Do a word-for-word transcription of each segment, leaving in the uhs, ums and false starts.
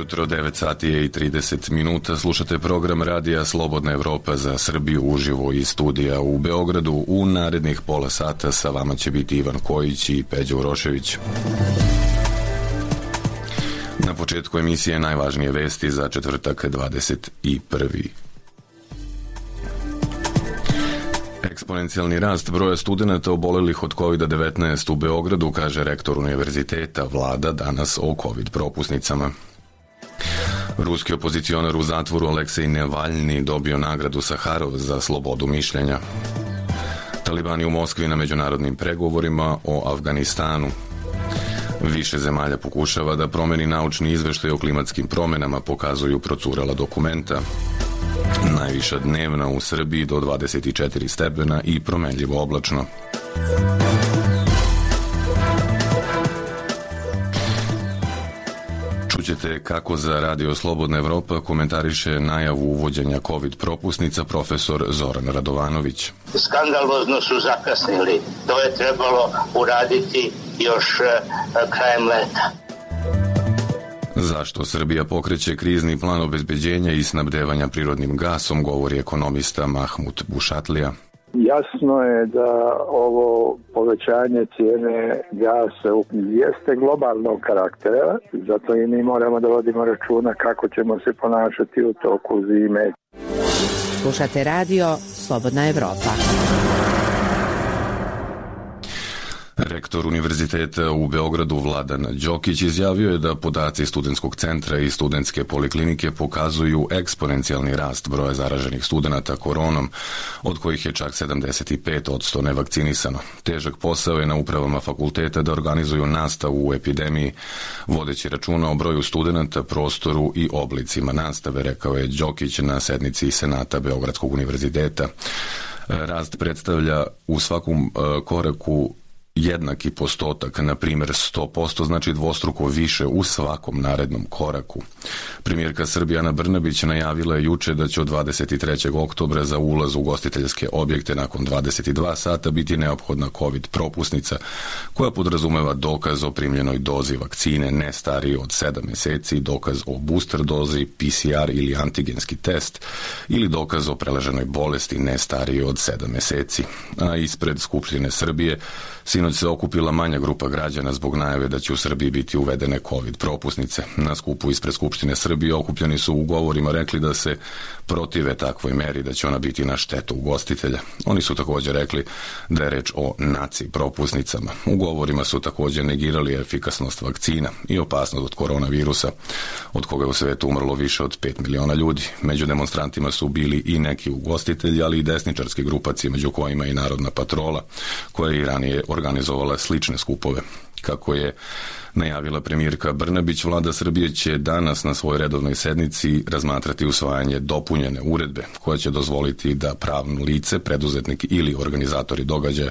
jutro, devet sati i trideset minuta. Slušate program radija Slobodna Evropa za Srbiju uživo iz studija u Beogradu. U narednih pola sata sa vama će biti Ivan Kojić i Peđa Urošević. Na početku emisije najvažnije vesti za četvrtak dvadeset prvi Eksponencijalni rast broja studenata obolelih od kovid devetnaest u Beogradu, kaže rektor univerziteta. Vlada danas o covid propusnicama. Ruski opozicionar u zatvoru Aleksej Navalni dobio nagradu Saharov za slobodu mišljenja. Talibani u Moskvi na međunarodnim pregovorima o Afganistanu. Više zemalja pokušava da promeni naučni izveštaj o klimatskim promenama, pokazuju procurela dokumenta. Najviša dnevna u Srbiji do dvadeset četiri stepena i promenljivo oblačno. Čućete kako za Radio Slobodna Evropa komentariše najavu uvođenja covid propusnica profesor Zoran Radovanović. Skandalozno su zakasnili. To je trebalo uraditi još krajem leta. Zašto Srbija pokreće krizni plan obezbeđenja i snabdevanja prirodnim gasom, govori ekonomista Mahmut Bušatlija. Jasno je da ovo povećanje cijene gasa jeste globalnog karaktera, zato i mi moramo da vodimo računa kako ćemo se ponašati u toku zime. Slušate radio Slobodna Evropa. Rektor univerziteta u Beogradu Vladan Đokić izjavio je da podaci studentskog centra i studentske poliklinike pokazuju eksponencijalni rast broja zaraženih studenata koronom, od kojih je čak sedamdeset pet posto nevakcinisano. Težak posao je na upravama fakulteta da organizuju nastavu u epidemiji, vodeći računa o broju studenata, prostoru i oblicima nastave, rekao je Đokić na sednici Senata Beogradskog univerziteta. Rast predstavlja u svakom koraku jednaki postotak, na primjer sto posto, znači dvostruko više u svakom narednom koraku. Premijerka Srbije Ana Brnabić najavila je juče da će od dvadeset trećeg oktobra za ulaz u ugostiteljske objekte nakon dvadeset dva sata biti neophodna covid propusnica, koja podrazumeva dokaz o primljenoj dozi vakcine ne stariji od sedam meseci, dokaz o booster dozi, P C R ili antigenski test ili dokaz o preleženoj bolesti ne stariji od sedam meseci. A ispred Skupštine Srbije sinoć se okupila manja grupa građana zbog najave da će u Srbiji biti uvedene covid propusnice. Na skupu ispred Skupštine Srbije okupljeni su u govorima rekli da se protive takvoj meri, da će ona biti na štetu ugostitelja. Oni su također rekli da je reč o naci propusnicama. U govorima su također negirali efikasnost vakcina i opasnost od koronavirusa, od koga je u svetu umrlo više od pet miliona ljudi. Među demonstrantima su bili i neki ugostitelji, ali i desničarske grupacije, među kojima i Narodna patrola, koja je i ranije organizovala slične skupove. Kako je najavila premijerka Brnabić, Vlada Srbije će danas na svojoj redovnoj sednici razmatrati usvajanje dopunjene uredbe koja će dozvoliti da pravno lice, preduzetnik ili organizatori događaja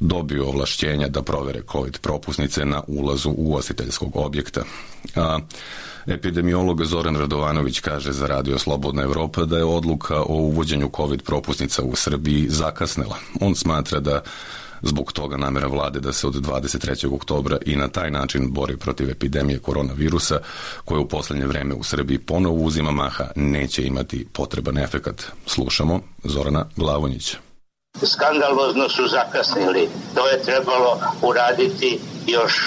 dobiju ovlašćenja da provere covid propusnice na ulazu ugostiteljskog objekta. A epidemiolog Zoran Radovanović kaže za Radio Slobodna Evropa da je odluka o uvođenju covid propusnica u Srbiji zakasnela. On smatra da zbog toga namera vlade da se od dvadeset trećeg oktobra i na taj način bori protiv epidemije koronavirusa, koja u poslednje vreme u Srbiji ponovo uzima maha, neće imati potreban efekat. Slušamo Zorana Glavonjića. Skandalozno su zakasnili. To je trebalo uraditi još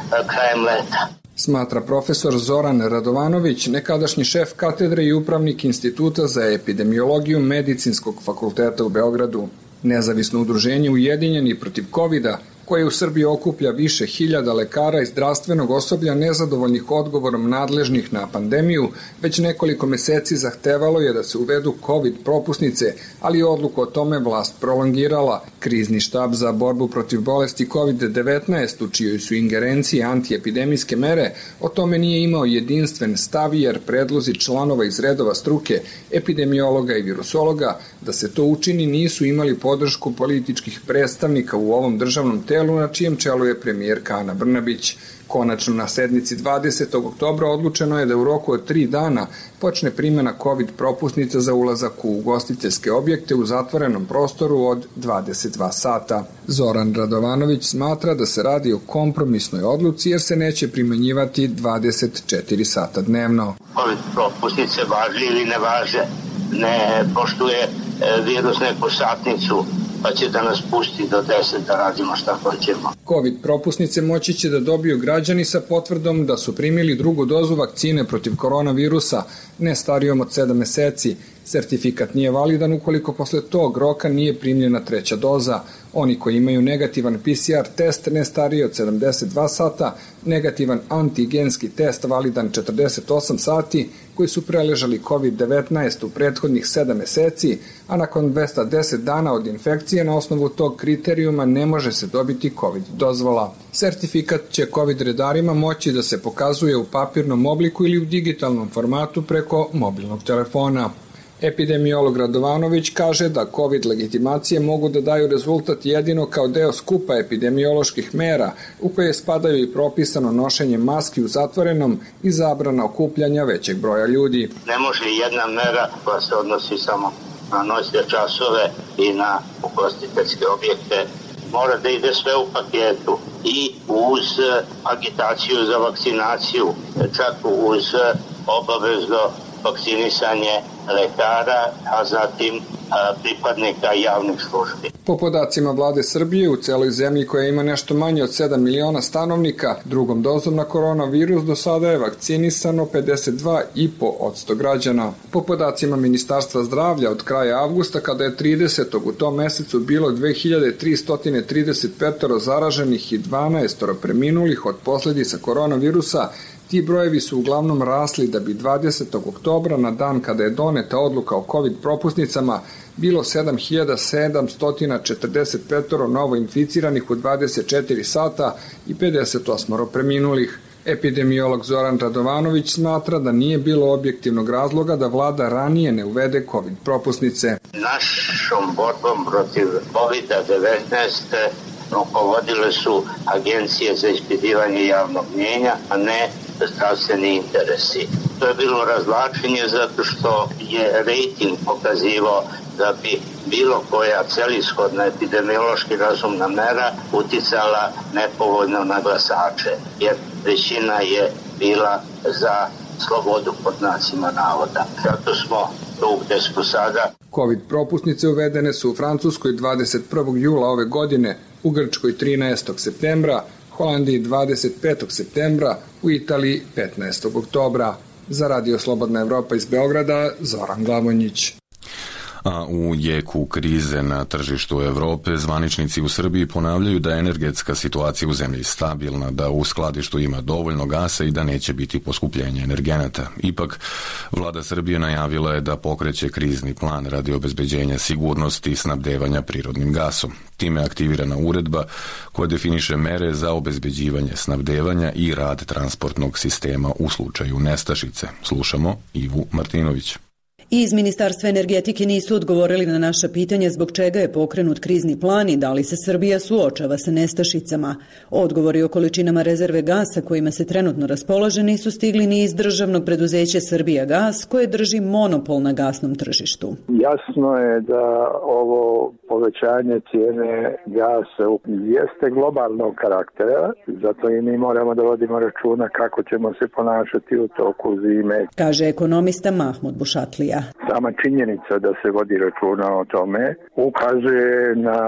krajem leta. Smatra profesor Zoran Radovanović, nekadašnji šef katedre i upravnik Instituta za epidemiologiju Medicinskog fakulteta u Beogradu. Nezavisno udruženje Ujedinjeni protiv kovida, koje u Srbiji okuplja više hiljada lekara i zdravstvenog osoblja nezadovoljnih odgovorom nadležnih na pandemiju, već nekoliko meseci zahtevalo je da se uvedu covid propusnice, ali odluku o tome vlast prolongirala. Krizni štab za borbu protiv bolesti kovid devetnaest, u čijoj su ingerenciji antiepidemijske mere, o tome nije imao jedinstven stav, jer predlozi članova iz redova struke, epidemiologa i virusologa, da se to učini nisu imali podršku političkih predstavnika u ovom državnom telu, telu na čijem čelu je premijerka Ana Brnabić. Konačno na sednici dvadesetog oktobra odlučeno je da u roku od tri dana počne primjena COVID propusnica za ulazak u ugostiteljske objekte u zatvorenom prostoru od dvadeset dva sata. Zoran Radovanović smatra da se radi o kompromisnoj odluci jer se neće primenjivati dvadeset četiri sata dnevno. COVID propusnice važe ili ne važe, ne poštuje virus neku satnicu, pa će da nas pusti do deset da radimo šta hoćemo. COVID propusnice moći će da dobiju građani sa potvrdom da su primili drugu dozu vakcine protiv koronavirusa, ne starijom od sedam meseci. Sertifikat nije validan ukoliko posle tog roka nije primljena treća doza. Oni koji imaju negativan P C R test ne stariji od sedamdeset dva sata, negativan antigenski test validan četrdeset osam sati, koji su preležali COVID devetnaest u prethodnih sedam meseci, a nakon dvesta deset dana od infekcije na osnovu tog kriterijuma ne može se dobiti COVID dozvola. Sertifikat će COVID redarima moći da se pokazuje u papirnom obliku ili u digitalnom formatu preko mobilnog telefona. Epidemiolog Radovanović kaže da COVID legitimacije mogu da daju rezultat jedino kao deo skupa epidemioloških mera u koje spadaju i propisano nošenje maski u zatvorenom i zabrana okupljanja većeg broja ljudi. Ne može jedna mera koja se odnosi samo na noćne časove i na ugostiteljske objekte. Mora da ide sve u paketu i uz agitaciju za vakcinaciju, čak uz obavezno vakcinisanje lekara, a zatim a, pripadnika javnih službi. Po podacima vlade Srbije, u celoj zemlji koja ima nešto manje od sedam miliona stanovnika, drugom dozom na koronavirus do sada je vakcinisano pedeset dva i po posto građana. Po podacima Ministarstva zdravlja od kraja avgusta, kada je tridesetog u tom mesecu bilo dve hiljade tristo trideset pet zaraženih i dvanaest preminulih od posledica koronavirusa, ti brojevi su uglavnom rasli da bi dvadesetog oktobra, na dan kada je doneta odluka o COVID propusnicama, bilo sedam hiljada sedamsto četrdeset pet novo inficiranih u dvadeset četiri sata i pedeset osam preminulih. Epidemiolog Zoran Radovanović smatra da nije bilo objektivnog razloga da vlada ranije ne uvede COVID propusnice. Našom borbom protiv COVID devetnaest rukovodile su agencije za ispitivanje javnog mnjenja, a ne zdravstveni interesi. To je bilo razvlačenje zato što je rejting pokazivao da bi bilo koja celishodna epidemiološki razumna mera uticala nepovoljno na glasače, jer većina je bila za slobodu pod znacima navoda. Zato smo tu gde smo sada. COVID propusnice uvedene su u Francuskoj dvadeset prvog jula ove godine, u Grčkoj trinaestog septembra, Holandiji dvadeset petog septembra, u Italiji petnaestog oktobra. Za Radio Slobodna Evropa iz Beograda, Zoran Glavonjić. A u jeku krize na tržištu Evrope zvaničnici u Srbiji ponavljaju da je energetska situacija u zemlji stabilna, da u skladištu ima dovoljno gasa i da neće biti poskupljenja energenata. Ipak, vlada Srbije najavila je da pokreće krizni plan radi obezbeđenja sigurnosti i snabdevanja prirodnim gasom. Time je aktivirana uredba koja definiše mere za obezbeđivanje snabdevanja i rad transportnog sistema u slučaju nestašice. Slušamo Ivu Martinović. Iz Ministarstva energetike nisu odgovorili na naša pitanja zbog čega je pokrenut krizni plan i da li se Srbija suočava sa nestašicama. Odgovori o količinama rezerve gasa kojima se trenutno raspolaže nisu stigli ni iz državnog preduzeća Srbijagas, koje drži monopol na gasnom tržištu. Jasno je da ovo povećanje cijene gasa jeste globalnog karaktera, zato i mi moramo da vodimo računa kako ćemo se ponašati u toku zime. Kaže ekonomista Mahmud Bušatlija. Sama činjenica da se vodi računa o tome ukazuje na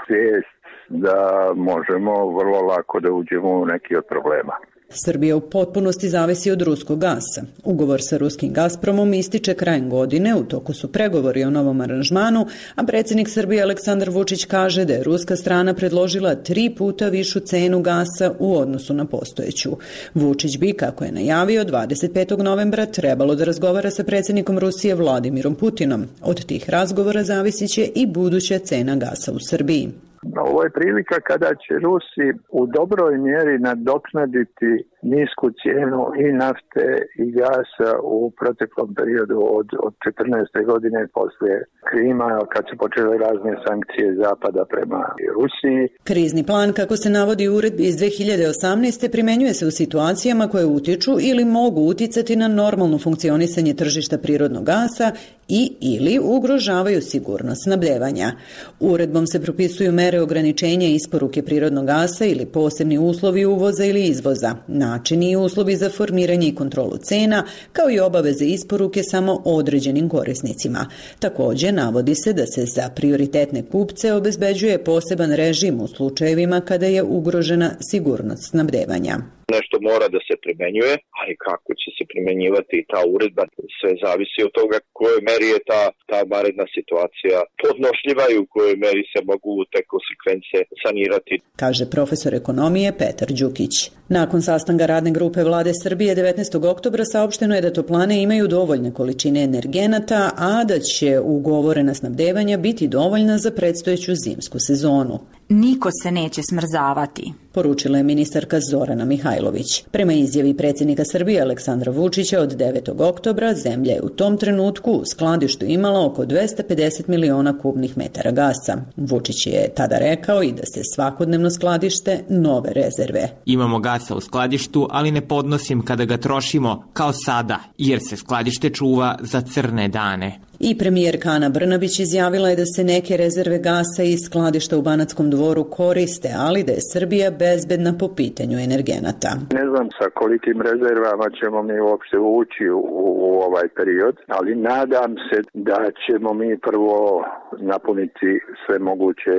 svijest da možemo vrlo lako da uđemo u neki od problema. Srbija u potpunosti zavisi od ruskog gasa. Ugovor sa ruskim Gazpromom ističe krajem godine, u toku su pregovori o novom aranžmanu, a predsjednik Srbije Aleksandar Vučić kaže da je ruska strana predložila tri puta višu cenu gasa u odnosu na postojeću. Vučić bi, kako je najavio, dvadeset petog novembra trebalo da razgovara sa predsjednikom Rusije Vladimirom Putinom. Od tih razgovora zavisit će i buduća cena gasa u Srbiji. Ovo je prilika kada će Rusi u dobroj mjeri nadoknaditi nisku cijenu i nafte i gasa u proteklom periodu od, od četrnaeste godine poslije Krima, kad su počele razne sankcije Zapada prema Rusiji. Krizni plan, kako se navodi u uredbi iz dve hiljade osamnaeste. primenjuje se u situacijama koje utiču ili mogu uticati na normalno funkcionisanje tržišta prirodnog gasa i ili ugrožavaju sigurnost snabdevanja. Uredbom se propisuju mere ograničenja isporuke prirodnog gasa ili posebni uslovi uvoza ili izvoza, načini i uslovi za formiranje i kontrolu cena, kao i obaveze isporuke samo određenim korisnicima. Takođe, navodi se da se za prioritetne kupce obezbeđuje poseban režim u slučajevima kada je ugrožena sigurnost snabdevanja. Nešto mora da se primenjuje, ali kako će se primenjivati ta uredba, sve zavisi od toga kojoj meri je ta, ta vanredna situacija podnošljiva i u kojoj meri se mogu te konsekvence sanirati. Kaže profesor ekonomije Petar Đukić. Nakon sastanka radne grupe Vlade Srbije devetnaestog oktobra saopšteno je da toplane imaju dovoljne količine energenata, a da će ugovorena snabdevanja biti dovoljna za predstojeću zimsku sezonu. Niko se neće smrzavati, poručila je ministarka Zorana Mihajlović. Prema izjavi predsjednika Srbije Aleksandra Vučića od devetog oktobra, zemlja je u tom trenutku u skladištu imala oko dvesta pedeset miliona kubnih metara gasa. Vučić je tada rekao i da se svakodnevno skladište nove rezerve. Imamo gasa u skladištu, ali ne podnosim kada ga trošimo kao sada, jer se skladište čuva za crne dane. I premijerka Ana Brnabić izjavila je da se neke rezerve gasa iz skladišta u Banatskom Dvoru koriste, ali da je Srbija bezbedna po pitanju energenata. Ne znam sa kolikim rezervama ćemo mi uopšte ući u, u ovaj period, ali nadam se da ćemo mi prvo napuniti sve moguće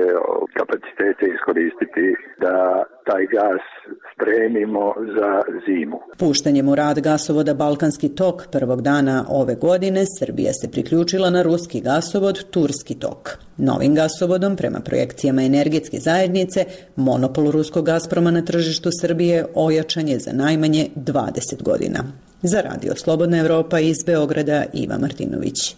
kapacitete iskoristiti da taj gas spremimo za zimu. Puštanjem u rad gasovoda Balkanski tok prvog dana ove godine, Srbija se priključila na ruski gasovod Turski tok. Novim gasovodom, prema projekcijama energetske zajednice, monopol ruskog Gazproma na tržištu Srbije ojačan je za najmanje dvadeset godina. Za Radio Slobodna Evropa iz Beograda, Iva Martinović.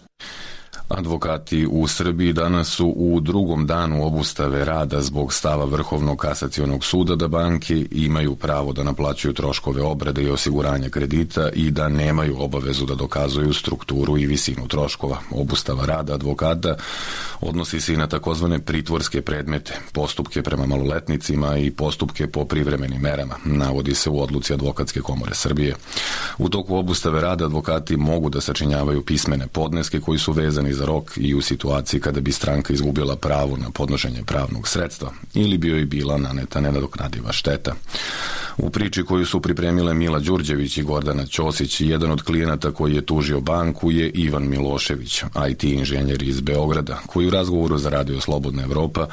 Advokati u Srbiji danas su u drugom danu obustave rada zbog stava Vrhovnog kasacionog suda da banke imaju pravo da naplaćuju troškove obrade i osiguranja kredita i da nemaju obavezu da dokazuju strukturu i visinu troškova. Obustava rada advokata odnosi se i na takozvane pritvorske predmete, postupke prema maloletnicima i postupke po privremenim merama, navodi se u odluci Advokatske komore Srbije. U toku obustave rada advokati mogu da sačinjavaju pismene podneske koji su vezani za rok i u situaciji kada bi stranka izgubila pravo na podnošenje pravnog sredstva ili bi joj bila naneta nenadoknadiva šteta. U priči koju su pripremile Mila Đurđević i Gordana Ćosić, jedan od klijenata koji je tužio banku je Ivan Milošević, I T inženjer iz Beograda, koji u razgovoru za Radio Slobodna Evropa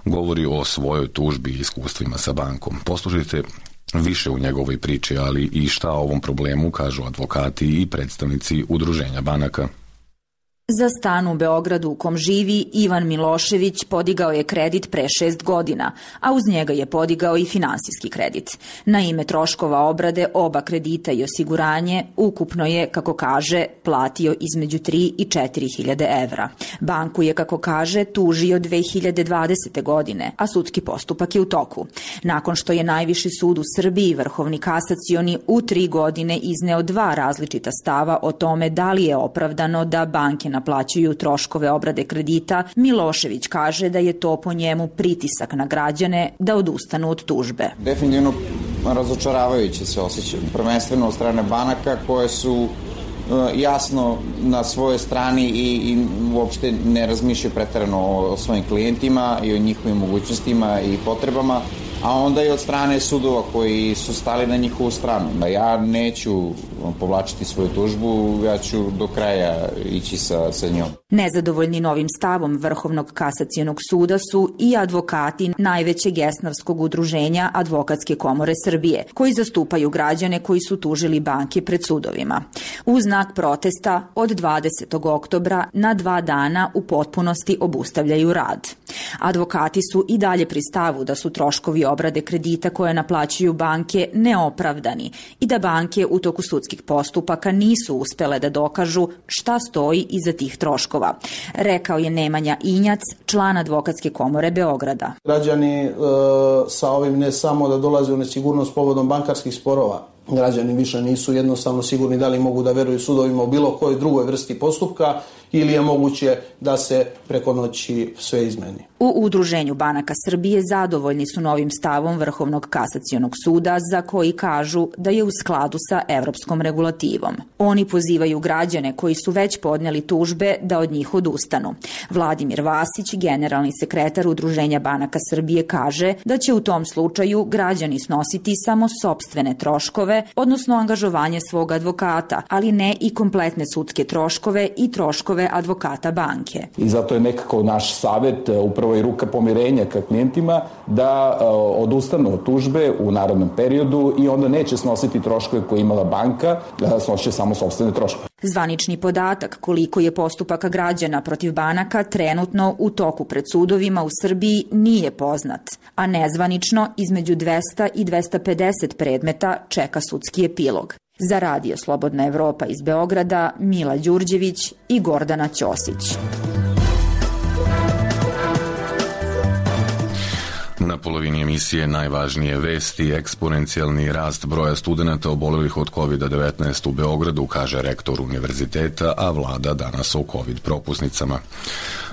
govori o svojoj tužbi i iskustvima sa bankom. Poslušajte više u njegovoj priči, ali i šta o ovom problemu kažu advokati i predstavnici udruženja banaka. Za stan u Beogradu u kom živi, Ivan Milošević podigao je kredit pre šest godina, a uz njega je podigao i finansijski kredit. Na ime troškova obrade oba kredita i osiguranje ukupno je, kako kaže, platio između tri i četiri hiljade evra. Banku je, kako kaže, tužio dve hiljade dvadesete godine, a sudski postupak je u toku. Nakon što je Najviši sud u Srbiji, Vrhovni kasacioni, u tri godine izneo dva različita stava o tome da li je opravdano da banke naplaćuju troškove obrade kredita, Milošević kaže da je to po njemu pritisak na građane da odustanu od tužbe. Definitivno razočaravajuće se osjećaju, prvenstveno od strane banaka koje su jasno na svojoj strani i, i uopšte ne razmišljaju preterano o, o svojim klijentima i o njihovim mogućnostima i potrebama, a onda i od strane sudova koji su stali na njihovu stranu. Ja neću povlačiti svoju tužbu, ja ću do kraja ići sa, sa njom. Nezadovoljni novim stavom Vrhovnog kasacionog suda su i advokati najvećeg esnavskog udruženja Advokatske komore Srbije, koji zastupaju građane koji su tužili banke pred sudovima. U znak protesta od dvadesetog oktobra na dva dana u potpunosti obustavljaju rad. Advokati su i dalje pri stavu da su troškovi obrade kredita koje naplaćuju banke neopravdani i da banke u toku sudskih postupaka nisu uspele da dokažu šta stoji iza tih troškova, rekao je Nemanja Injac, član Advokatske komore Beograda. Građani e, sa ovim ne samo da dolaze u nesigurnost povodom bankarskih sporova, građani više nisu jednostavno sigurni da li mogu da veruju sudovima u bilo kojoj drugoj vrsti postupka ili je moguće da se preko noći sve izmeni. U Udruženju banaka Srbije zadovoljni su novim stavom Vrhovnog kasacionog suda za koji kažu da je u skladu sa evropskom regulativom. Oni pozivaju građane koji su već podneli tužbe da od njih odustanu. Vladimir Vasić, generalni sekretar Udruženja banaka Srbije, kaže da će u tom slučaju građani snositi samo sopstvene troškove, odnosno angažovanje svog advokata, ali ne i kompletne sudske troškove i troškove advokata banke. I zato je nekako naš savjet, upravo i ruka pomirenja ka klijentima, da odustanu od tužbe u narednom periodu i onda neće snositi troškove koje imala banka, snosit samo sopstvene troškove. Zvanični podatak koliko je postupaka građana protiv banaka trenutno u toku pred sudovima u Srbiji nije poznat, a nezvanično između dvesta i dvesta pedeset predmeta čeka sudski epilog. Za Radio Slobodna Evropa iz Beograda, Mila Đurđević i Gordana Ćosić. Na polovini emisije najvažnije vesti, eksponencijalni rast broja studenata obolelih od kovid devetnaest u Beogradu, kaže rektor univerziteta, a vlada danas o covid propusnicama.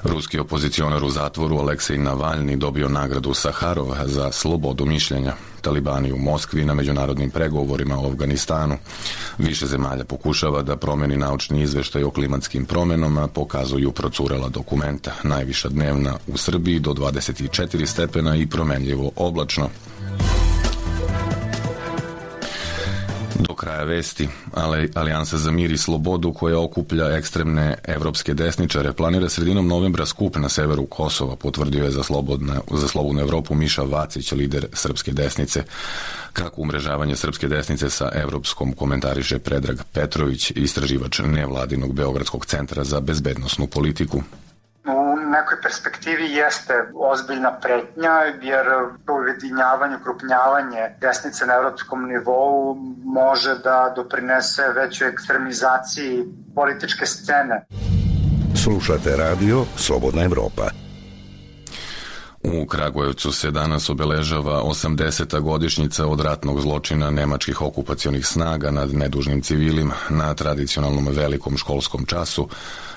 Ruski opozicionar u zatvoru Aleksej Navalni dobio nagradu Saharov za slobodu mišljenja. Talibani u Moskvi na međunarodnim pregovorima o Afganistanu. Više zemalja pokušava da promeni naučni izveštaj o klimatskim promenama, pokazuju procurela dokumenta. Najviša dnevna u Srbiji do dvadeset četiri stepena i promenljivo oblačno. Do kraja vesti, ali Alijansa za mir i slobodu, koja okuplja ekstremne evropske desničare, planira sredinom novembra skup na severu Kosova, potvrdio je za, slobodna, za slobodnu Evropu Miša Vacić, lider srpske desnice. Kako umrežavanje srpske desnice sa evropskom komentariše Predrag Petrović, istraživač nevladinog Beogradskog centra za bezbednosnu politiku. U nekoj perspektivi jeste ozbiljna pretnja, jer to ujedinjavanje, ukrupnjavanje desnice na evropskom nivou može da doprinese većoj ekstremizaciji političke scene. Slušate radio Slobodna Evropa. U Kragujevcu se danas obeležava osamdeseta godišnjica od ratnog zločina nemačkih okupacionih snaga nad nedužnim civilima. Na tradicionalnom velikom školskom času,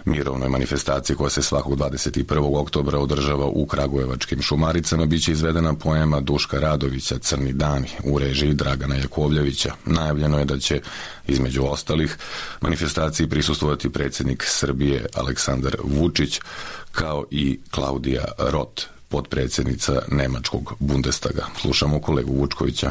mirovnoj manifestaciji koja se svakog dvadeset prvog oktobra održava u Kragujevačkim Šumaricama, biće izvedena poema Duška Radovića Crni dani u režiji Dragana Jakovljevića. Najavljeno je da će, između ostalih, manifestaciji prisustvovati predsjednik Srbije Aleksandar Vučić, kao i Klaudija Roth, potpredsjednica nemačkog Bundestaga. Slušamo kolegu Vučkovića.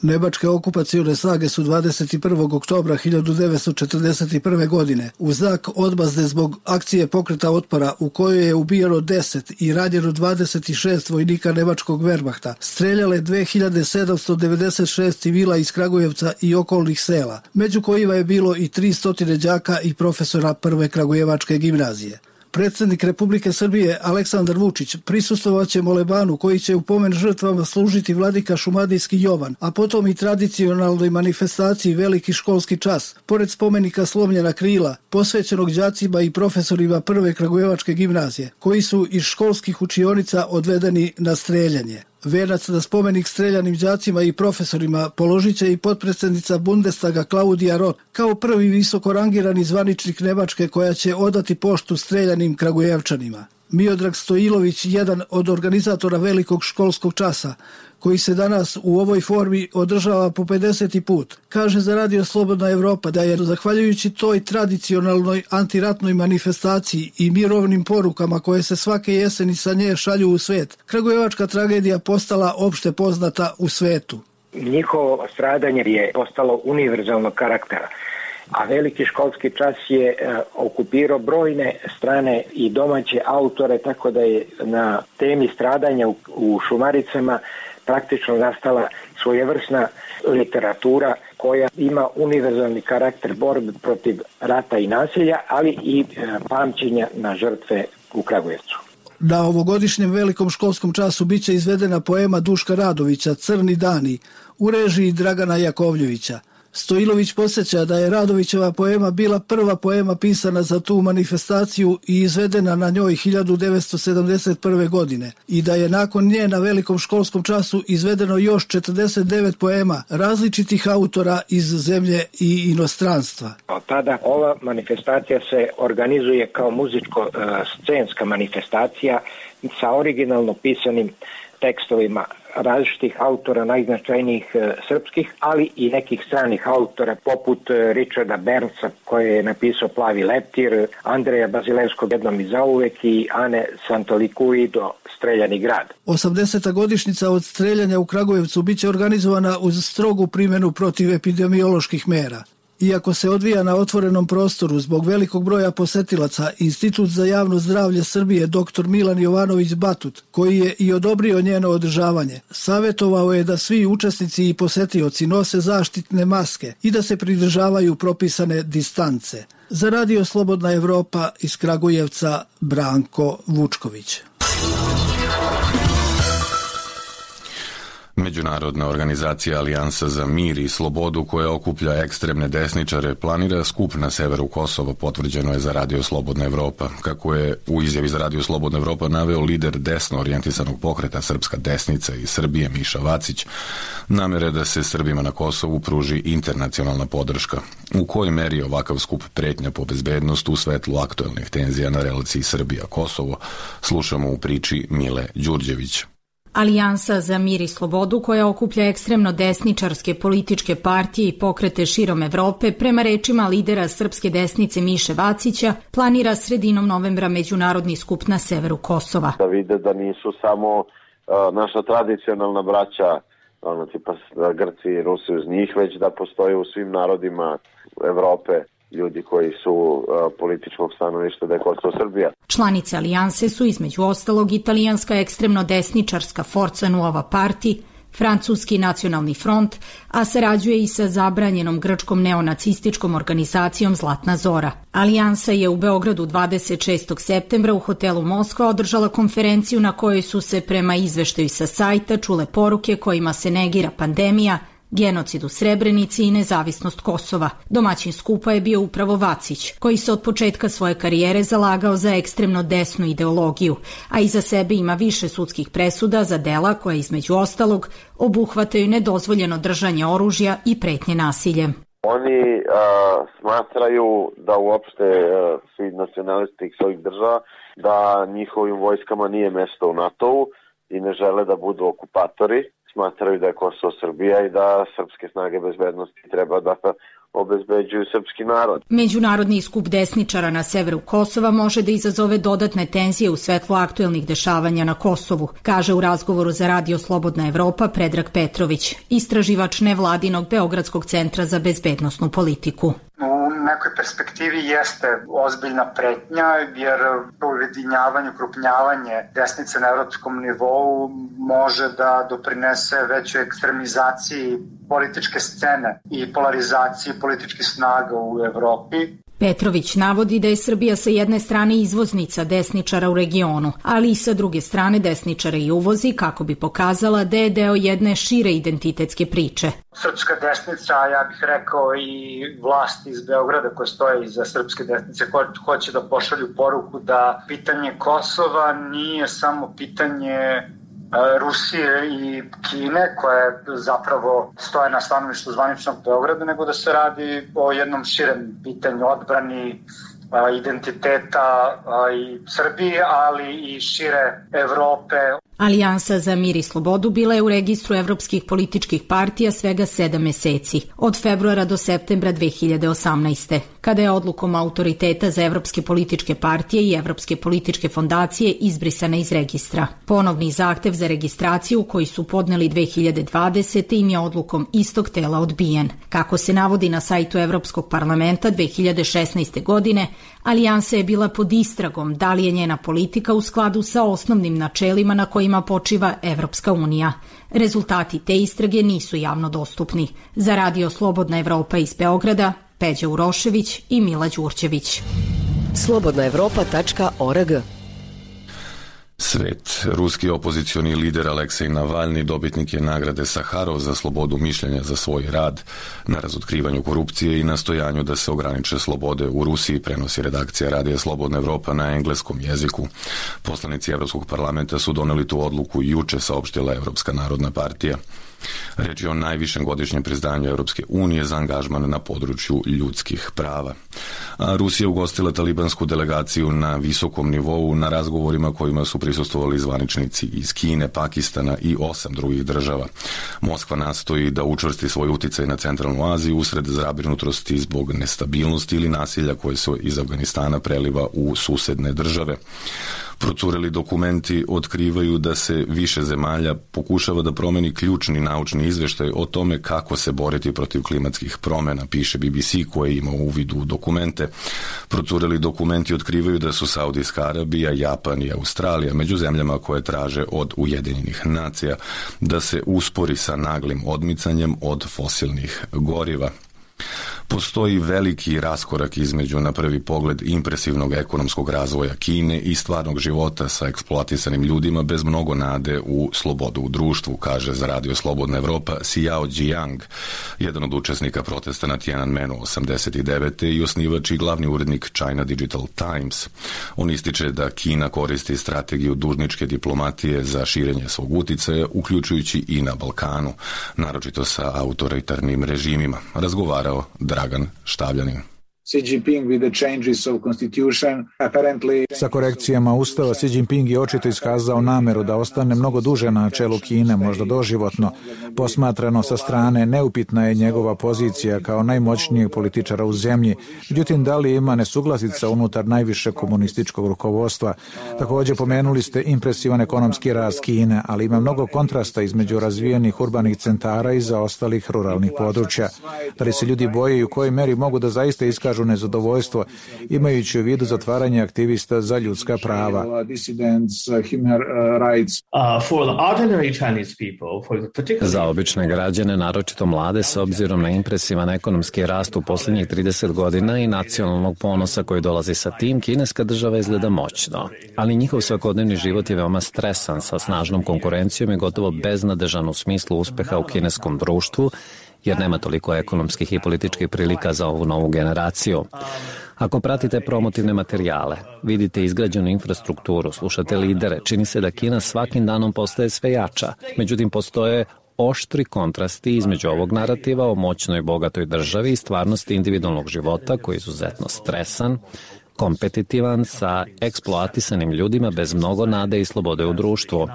Nemačke okupacione snage su dvadeset prvog oktobra hiljadu devetsto četrdeset prve. godine u znak odmazde zbog akcije pokreta otpora u kojoj je ubijeno deset i ranjeno dvadeset šest vojnika nemačkog Wehrmachta, streljale dve hiljade sedamsto devedeset šest civila iz Kragujevca i okolnih sela, među kojima je bilo i tristo đaka i profesora prve Kragujevačke gimnazije. Predsjednik Republike Srbije Aleksandar Vučić prisustvovaće molebanu koji će u pomen žrtvama služiti vladika Šumadijski Jovan, a potom i tradicionalnoj manifestaciji Veliki školski čas, pored spomenika Slomljena krila, posvećenog đacima i profesorima prve Kragujevačke gimnazije, koji su iz školskih učionica odvedeni na streljanje. Venac na spomenik streljanim đacima i profesorima položit će i potpredsjednica Bundestaga Klaudija Roth, kao prvi visoko rangirani zvaničnik Nemačke koja će odati poštu streljanim Kragujevčanima. Miodrag Stojilović, jedan od organizatora Velikog školskog časa, koji se danas u ovoj formi održava po pedeseti put, kaže za Radio Slobodna Evropa da je, zahvaljujući toj tradicionalnoj antiratnoj manifestaciji i mirovnim porukama koje se svake jeseni sa nje šalju u svet, kragujevačka tragedija postala opšte poznata u svetu. Njihovo stradanje je postalo univerzalnog karaktera, a Veliki školski čas je e, okupirao brojne strane i domaće autore, tako da je na temi stradanja u, u Šumaricama praktično nastala svojevrsna literatura koja ima univerzalni karakter borbe protiv rata i nasilja, ali i e, pamćenja na žrtve u Kragujevcu. Na ovogodišnjem Velikom školskom času biće izvedena poema Duška Radovića Crni dani u režiji Dragana Jakovljevića. Stojilović podsjeća da je Radovićeva poema bila prva poema pisana za tu manifestaciju i izvedena na njoj hiljadu devetsto sedamdeset prve. godine i da je nakon nje na velikom školskom času izvedeno još četrdeset devet poema različitih autora iz zemlje i inostranstva. Od tada ova manifestacija se organizuje kao muzičko-scenska manifestacija sa originalno pisanim tekstovima različitih autora, najznačajnijih e, srpskih, ali i nekih stranih autora poput e, Richarda Bernsa koji je napisao Plavi leptir, Andreja Bazilevskog Jednom i zauvek i Ane Santolikuido Streljani grad. osamdeseta godišnjica od streljanja u Kragujevcu biće organizovana uz strogu primjenu protiv epidemioloških mera. Iako se odvija na otvorenom prostoru zbog velikog broja posetilaca, Institut za javno zdravlje Srbije dr Milan Jovanović Batut, koji je i odobrio njeno održavanje, savjetovao je da svi učesnici i posetioci nose zaštitne maske i da se pridržavaju propisane distance. Za Radio Slobodna Evropa iz Kragujevca, Branko Vučković. Međunarodna organizacija Alijansa za mir i slobodu koja okuplja ekstremne desničare planira skup na severu Kosova, potvrđeno je za Radio Slobodna Evropa. Kako je u izjavi za Radio Slobodna Evropa naveo lider desno orijentisanog pokreta Srpska desnica iz Srbije Miša Vacić, namere da se Srbima na Kosovu pruži internacionalna podrška. U kojoj meri je ovakav skup pretnja po bezbednost u svetlu aktuelnih tenzija na relaciji Srbija-Kosovo, slušamo u priči Mile Đurđević. Alijansa za mir i slobodu, koja okuplja ekstremno desničarske političke partije i pokrete širom Evrope, prema rečima lidera srpske desnice Miše Vacića, planira sredinom novembra međunarodni skup na severu Kosova. Da vide da nisu samo uh, naša tradicionalna braća, ono tipa Grci i Rusi uz njih, već da postoje u svim narodima Evrope ljudi koji su uh, političkog stanovišta da je Kosovo Srbija. Članice alijanse su između ostalog italijanska ekstremno desničarska Forza Nuova Parti, francuski nacionalni front, a sarađuje i sa zabranjenom grčkom neonacističkom organizacijom Zlatna Zora. Alijansa je u Beogradu dvadeset šestog septembra u hotelu Moskva održala konferenciju na kojoj su se prema izveštaju sa sajta čule poruke kojima se negira pandemija, genocid u Srebrenici i nezavisnost Kosova. Domaćin skupa je bio upravo Vacić, koji se od početka svoje karijere zalagao za ekstremno desnu ideologiju, a iza sebe ima više sudskih presuda za dela koja između ostalog obuhvataju nedozvoljeno držanje oružja i pretnje nasiljem. Oni uh, smatraju da uopšte uh, svi nacionalisti svojih država da njihovim vojskama nije mesto u NATO-u i ne žele da budu okupatori. Smatraju da je Kosovo Srbija i da srpske snage bezbednosti treba da obezbeđuju srpski narod. Međunarodni skup desničara na severu Kosova može da izazove dodatne tenzije u svetlu aktuelnih dešavanja na Kosovu, kaže u razgovoru za Radio Slobodna Evropa Predrag Petrović, istraživač nevladinog Beogradskog centra za bezbednosnu politiku. U nekoj perspektivi jeste ozbiljna pretnja, jer ujedinjavanje, ukrupnjavanje desnice na evropskom nivou može da doprinese većoj ekstremizaciji političke scene i polarizaciji političkih snaga u Evropi. Petrović navodi da je Srbija sa jedne strane izvoznica desničara u regionu, ali i sa druge strane desničara i uvozi kako bi pokazala da je deo jedne šire identitetske priče. Srpska desnica, ja bih rekao i vlasti iz Beograda koje stoje iza srpske desnice, hoće da pošalju poruku da pitanje Kosova nije samo pitanje Rusije i Kine, koje zapravo stoje na stanovištu zvaničnog Beograda, nego da se radi o jednom širem pitanju odbrani identiteta i Srbije, ali i šire Evrope. Alijansa za mir i slobodu bila je u registru evropskih političkih partija svega sedam meseci, od februara do septembra dve hiljade osamnaeste. Kada je odlukom autoriteta za evropske političke partije i evropske političke fondacije izbrisana iz registra. Ponovni zahtev za registraciju koji su podneli dve hiljade dvadesete im je odlukom istog tela odbijen. Kako se navodi na sajtu Evropskog parlamenta dve hiljade šesnaeste. godine, Alijansa je bila pod istragom da li je njena politika u skladu sa osnovnim načelima na kojima počiva Evropska unija. Rezultati te istrage nisu javno dostupni. Za Radio Slobodna Evropa iz Beograda, Peđa Urošević i Mila Đurđević. slobodna evropa tačka org Svet. Ruski opozicioni lider Aleksej Navalni dobitnik je nagrade Saharov za slobodu mišljenja za svoj rad na razotkrivanju korupcije i nastojanju da se ograniče slobode u Rusiji, prenosi redakcija Radija Slobodna Evropa na engleskom jeziku. Poslanici Evropskog parlamenta su doneli tu odluku juče, saopštila Evropska narodna partija. Reč je o najvišem godišnjem priznanju Evropske unije za angažman na području ljudskih prava. A Rusija je ugostila talibansku delegaciju na visokom nivou na razgovorima kojima su prisustvovali zvaničnici iz Kine, Pakistana i osam drugih država. Moskva nastoji da učvrsti svoj uticaj na centralnu Aziju usred zabrinutosti zbog nestabilnosti ili nasilja koje se iz Afganistana preliva u susedne države. Procureli dokumenti otkrivaju da se više zemalja pokušava da promeni ključni naučni izveštaj o tome kako se boriti protiv klimatskih promjena, piše B B C koji ima uvid u dokumente. Procureli dokumenti otkrivaju da su Saudijska Arabija, Japan i Australija među zemljama koje traže od Ujedinjenih nacija da se uspori sa naglim odmicanjem od fosilnih goriva. Postoji veliki raskorak između, na prvi pogled, impresivnog ekonomskog razvoja Kine i stvarnog života sa eksploatisanim ljudima bez mnogo nade u slobodu u društvu, kaže za Radio Slobodna Evropa Xiao Jiang, jedan od učesnika protesta na Tiananmenu osamdeset devete i osnivač i glavni urednik China Digital Times. On ističe da Kina koristi strategiju dužničke diplomatije za širenje svog uticaja, uključujući i na Balkanu, naročito sa autoritarnim režimima. Razgovarao Dragan Štavljanin. Sa korekcijama Ustava, Xi Jinping je očito iskazao nameru da ostane mnogo duže na čelu Kine, možda doživotno. Posmatrano sa strane, neupitna je njegova pozicija kao najmoćnijeg političara u zemlji. Međutim, da li ima nesuglasica unutar najviše komunističkog rukovodstva? Također pomenuli ste impresivan ekonomski rast Kine, ali ima mnogo kontrasta između razvijenih urbanih centara i zaostalih ruralnih područja. Da li se ljudi boje i u kojoj meri mogu da zaista iskažu nezadovoljstvo, imajući u vidu zatvaranje aktivista za ljudska prava. Za obične građane, naročito mlade, s obzirom na impresivan ekonomski rast u posljednjih trideset godina i nacionalnog ponosa koji dolazi sa tim, kineska država izgleda moćno. Ali njihov svakodnevni život je veoma stresan, sa snažnom konkurencijom i gotovo beznadežan u smislu uspeha u kineskom društvu, jer nema toliko ekonomskih i političkih prilika za ovu novu generaciju. Ako pratite promotivne materijale, vidite izgrađenu infrastrukturu, slušate lidere, čini se da Kina svakim danom postaje sve jača. Međutim, postoje oštri kontrasti između ovog narativa o moćnoj i bogatoj državi i stvarnosti individualnog života koji je izuzetno stresan, kompetitivan sa eksploatisanim ljudima bez mnogo nade i slobode u društvu.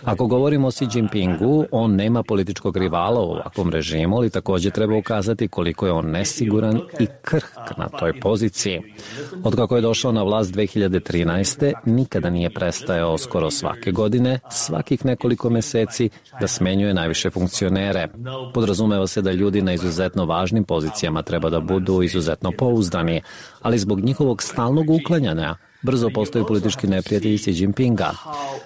Ako govorimo o Xi Jinpingu, on nema političkog rivala u ovakvom režimu, ali također treba ukazati koliko je on nesiguran i krhk na toj poziciji. Otkako je došao na vlast dve hiljade trinaeste. nikada nije prestajao skoro svake godine, svakih nekoliko meseci, da smenjuje najviše funkcionere. Podrazumeva se da ljudi na izuzetno važnim pozicijama treba da budu izuzetno pouzdani, ali zbog njihovog stalnog uklanjanja brzo postaju politički neprijatelji Xi Jinpinga.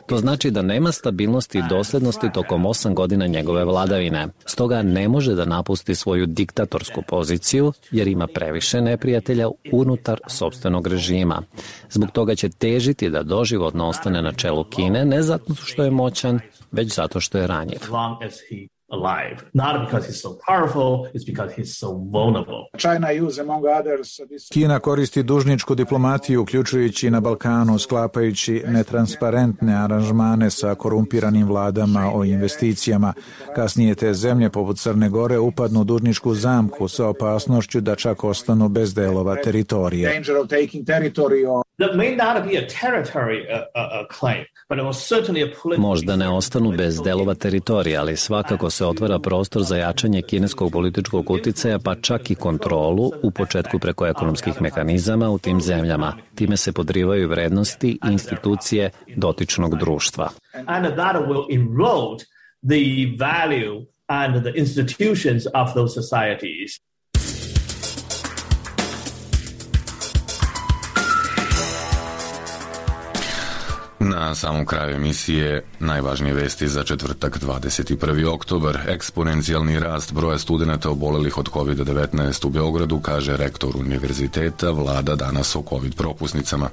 To znači da nema stabilnosti i doslednosti tokom osam godina njegove vladavine. Stoga ne može da napusti svoju diktatorsku poziciju jer ima previše neprijatelja unutar sopstvenog režima. Zbog toga će težiti da doživotno ostane na čelu Kine, ne zato što je moćan, već zato što je ranjiv. Alive. Not because he's so powerful, it's because he's so vulnerable. China use among others this... Kina koristi dužničku diplomatiju, uključujući na Balkanu, sklapajući netransparentne aranžmane sa korumpiranim vladama o investicijama. Kasnije te zemlje poput Crne Gore upadnu u dužničku zamku sa opasnošću da čak ostanu bez delova teritorije. Danger of taking territory or... That may not be a territory uh, uh, claim, but it was certainly a political... Možda ne ostanu bez delova teritorija, ali svakako se otvara prostor za jačanje kineskog političkog uticaja, pa čak i kontrolu, u početku preko ekonomskih mehanizama u tim zemljama. Time se podrivaju vrednosti i institucije dotičnog društva. And that will erode the value and the institutions of those societies. Na samom kraju emisije najvažnije vesti za četvrtak dvadeset prvi oktobar. Eksponencijalni rast broja studenata obolelih od kovid devetnaest u Beogradu, kaže rektor univerziteta, vlada danas o covid propusnicama.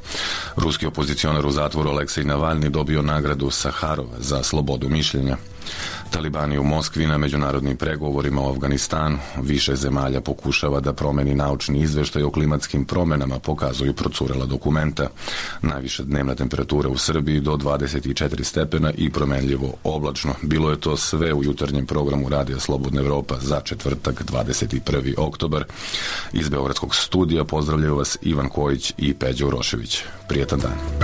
Ruski opozicionar u zatvoru Aleksej Navalni dobio nagradu Saharov za slobodu mišljenja. Talibani u Moskvi na međunarodnim pregovorima o Afganistanu. Više zemalja pokušava da promeni naučni izveštaj o klimatskim promenama, pokazuju procurela dokumenta. Najviša dnevna temperatura u Srbiji do dvadeset četiri stepena i promenljivo oblačno. Bilo je to sve u jutarnjem programu Radija Slobodna Evropa za četvrtak dvadeset prvi oktobar. Iz Beogradskog studija pozdravljaju vas Ivan Kojić i Peđa Urošević. Prijetan dan.